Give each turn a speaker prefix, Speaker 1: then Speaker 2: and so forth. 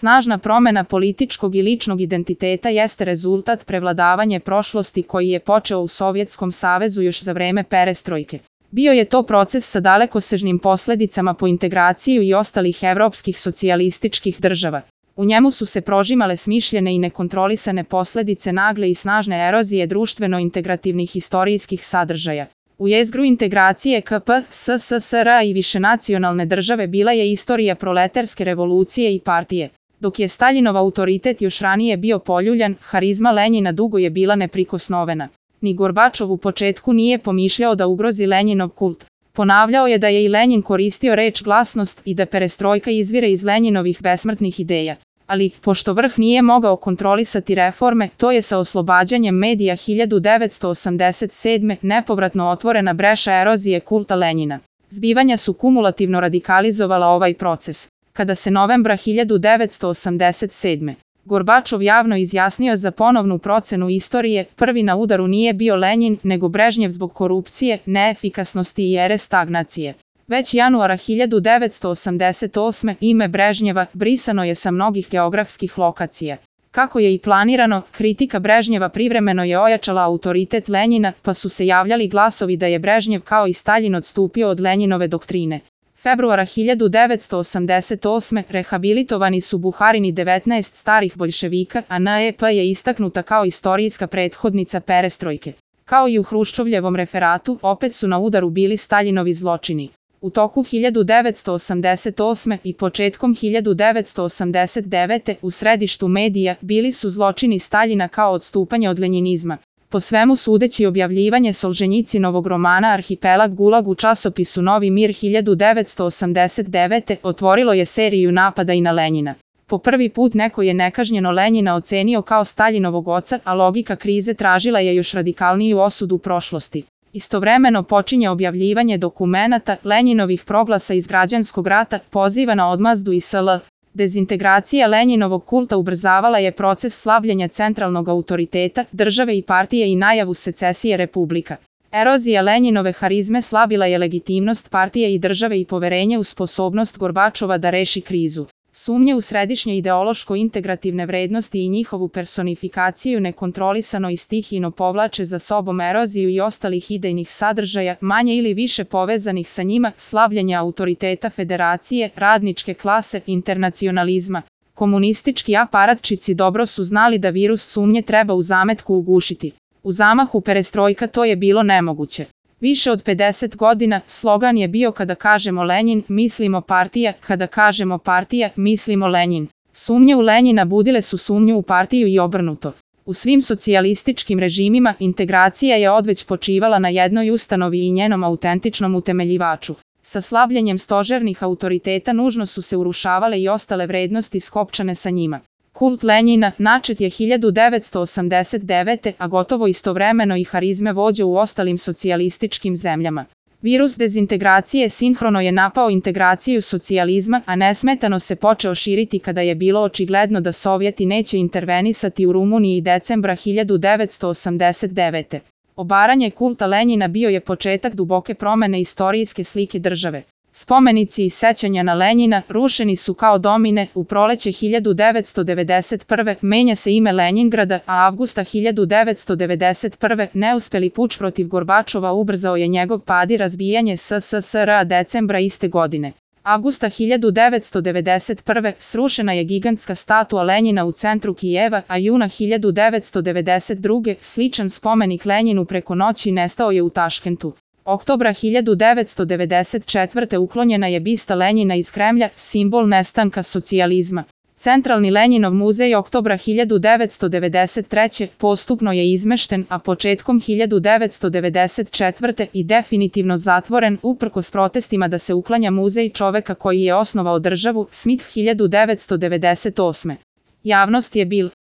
Speaker 1: Snažna promena političkog i ličnog identiteta jeste rezultat prevladavanja prošlosti koji je počeo u Sovjetskom savezu još za vreme perestrojke. Bio je to proces sa dalekosežnim posledicama po integraciju i ostalih evropskih socijalističkih država. U njemu su se prožimale smišljene i nekontrolisane posledice nagle i snažne erozije društveno-integrativnih istorijskih sadržaja. U jezgru integracije KP, SSSR i višenacionalne države bila je istorija proletarske revolucije i partije. Dok je Staljinov autoritet još ranije bio poljuljan, harizma Lenjina dugo je bila neprikosnovena. Ni Gorbačov u početku nije pomišljao da ugrozi Lenjinov kult. Ponavljao je da je i Lenjin koristio reč glasnost i da perestrojka izvire iz Lenjinovih besmrtnih ideja. Ali, pošto vrh nije mogao kontrolisati reforme, to je sa oslobađanjem medija 1987. nepovratno otvorena breša erozije kulta Lenjina. Zbivanja su kumulativno radikalizovala ovaj proces. Kada se novembra 1987. Gorbačov javno izjasnio za ponovnu procenu istorije, prvi na udaru nije bio Lenjin, nego Brežnjev zbog korupcije, neefikasnosti i ere stagnacije. Već januara 1988. ime Brežnjeva brisano je sa mnogih geografskih lokacija. Kako je i planirano, kritika Brežnjeva privremeno je ojačala autoritet Lenjina, pa su se javljali glasovi da je Brežnjev kao i Staljin odstupio od Lenjinove doktrine. Februara 1988. rehabilitovani su Buharin i 19 starih boljševika, a NEP je istaknuta kao istorijska prethodnica perestrojke. Kao i u Hruščovljevom referatu, opet su na udaru bili Staljinovi zločini. U toku 1988. i početkom 1989. u središtu medija bili su zločini Staljina kao odstupanje od lenjinizma. Po svemu sudeći objavljivanje Solženjicinovog romana Arhipelag Gulag u časopisu Novi mir 1989. otvorilo je seriju napada i na Lenjina. Po prvi put neko je nekažnjeno Lenjina ocenio kao Staljinovog oca, a logika krize tražila je još radikalniju osudu prošlosti. Istovremeno počinje objavljivanje dokumenata Lenjinovih proglasa iz građanskog rata, poziva na odmazdu i sl. Dezintegracija Lenjinovog kulta ubrzavala je proces slabljenja centralnog autoriteta, države i partije i najavu secesije republika. Erozija Lenjinove harizme slabila je legitimnost partije i države i poverenje u sposobnost Gorbačova da reši krizu. Sumnje u središnje ideološko-integrativne vrednosti i njihovu personifikaciju nekontrolisano i stihijno povlače za sobom eroziju i ostalih idejnih sadržaja, manje ili više povezanih sa njima, slabljenja autoriteta federacije, radničke klase, internacionalizma. Komunistički aparatčici dobro su znali da virus sumnje treba u zametku ugušiti. U zamahu perestrojka to je bilo nemoguće. Više od 50 godina slogan je bio kada kažemo Lenjin, mislimo partija, kada kažemo partija, mislimo Lenjin. Sumnje u Lenjina budile su sumnju u partiju i obrnuto. U svim socijalističkim režimima integracija je odveć počivala na jednoj ustanovi i njenom autentičnom utemeljivaču. Sa slabljenjem stožernih autoriteta nužno su se urušavale i ostale vrednosti skopčane sa njima. Kult Lenjina načet je 1989. a gotovo istovremeno i harizme vođe u ostalim socijalističkim zemljama. Virus dezintegracije sinhrono je napao integraciju socijalizma, a nesmetano se počeo širiti kada je bilo očigledno da Sovjeti neće intervenisati u Rumuniji decembra 1989. Obaranje kulta Lenjina bio je početak duboke promene istorijske slike države. Spomenici i sećanja na Lenjina rušeni su kao domine, u proleće 1991. menja se ime Lenjingrada, a avgusta 1991. neuspeli puč protiv Gorbačova ubrzao je njegov pad i razbijanje SSSR-a decembra iste godine. Avgusta 1991. srušena je gigantska statua Lenjina u centru Kijeva, a juna 1992. sličan spomenik Lenjinu preko noći nestao je u Taškentu. Oktobra 1994. uklonjena je bista Lenjina iz Kremlja, simbol nestanka socijalizma. Centralni Lenjinov muzej oktobra 1993. postupno je izmešten, a početkom 1994. i definitivno zatvoren uprkos protestima da se uklanja muzej čoveka koji je osnovao državu, Smith 1998. Javnost je bil